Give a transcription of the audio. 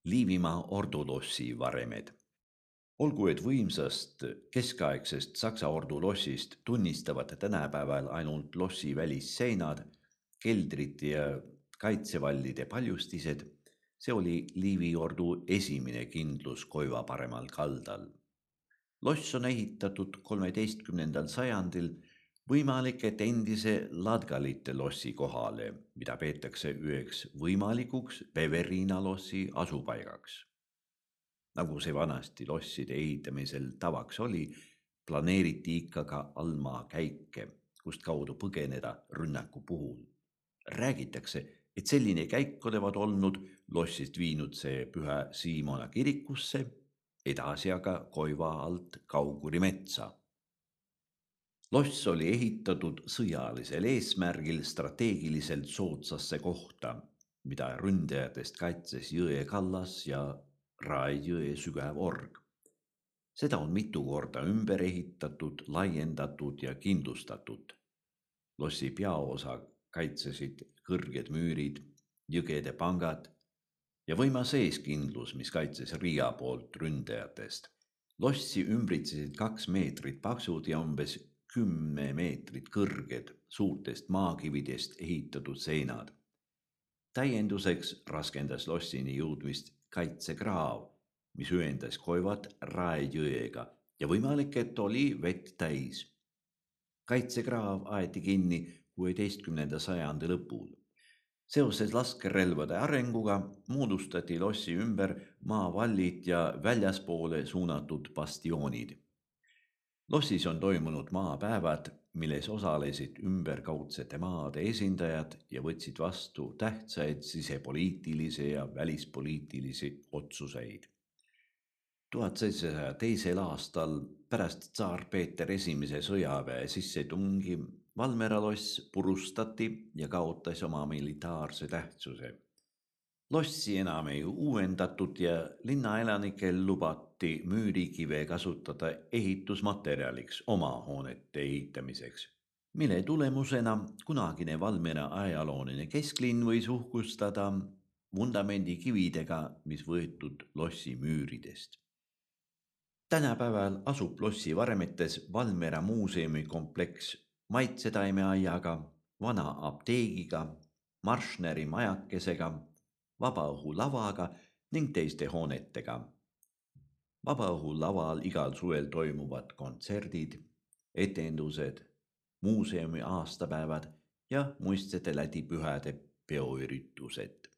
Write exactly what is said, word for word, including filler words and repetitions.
Liivimaa ordulossi varemed. Olgu, et võimsast keskaegsest Saksa ordulossist tunnistavad tänapäeval ainult lossi välisseinad, keldrid ja kaitsevallide paljustised, see oli Liivi ordu esimene kindlus Koiva paremal kaldal. Loss on ehitatud kolmeteistkümnendal sajandil võimalik, et endise Ladgalite lossi kohale, mida peetakse üheks võimalikuks Beveriina lossi asupaigaks. Nagu see vanasti losside ehitamisel tavaks oli, planeeriti ikka ka allmaa käike, kust kaudu põgeneda rünnaku puhul. Räägitakse, et selline käik olevat olnud lossist viinud see Püha Siimona kirikusse, edasi aga Koiva alt Kauguri metsa. Loss oli ehitatud sõjalisel eesmärgil strateegiliselt soodsasse kohta, mida ründajatest kaitses jõe kallas ja Rae jõe sügav org. Seda on mitu korda ümber ehitatud, laiendatud ja kindlustatud. Lossi peaosa kaitsesid kõrged müürid, jõgede pangad ja võimas eeskindlus, mis kaitses Riia poolt ründajatest. Lossi ümbritsesid kaks meetrit paksud ja umbes kümme meetrit kõrged suurtest maakividest ehitatud seinad. Täienduseks raskendas lossini jõudmist kaitsekraav, mis ühendas Koivat Rae jõega ja võimalik, et oli vett täis. Kaitsekraav aeti kinni kuueteistkümnenda sajandi lõpul. Seoses laskerelvade arenguga moodustati lossi ümber maavallid ja väljaspoole suunatud bastioonid. Lossis on toimunud maapäevad, milles osalesid ümberkaudsete maade esindajad ja võtsid vastu tähtsaid sisepoliitilisi ja välispoliitilisi otsuseid. tuhat seitsesaja teisel aastal pärast tsaar Peeter esimese sõjaväe sissetungi Valmiera loss purustati ja kaotas oma militaarse tähtsuse. Lossi enam ei uuendatud ja linnaelanikel lubati müürikive kasutada ehitusmaterjaliks oma hoonete ehitamiseks, mille tulemusena kunagine Valmiera ajalooline kesklinn võis uhkustada vundamendikividega, mis võetud lossi müüridest. Tänapäeval asub lossi varemetes Valmiera muuseumi kompleks maitsetaimeaiaga, vana apteegiga, Marschneri majakesega, vabaõhulavaga ning teiste hoonetega. Vabaõhulaval igal suvel toimuvad kontserdid, etendused, muuseumi aastapäevad ja muistsete lädipühade peoüritused.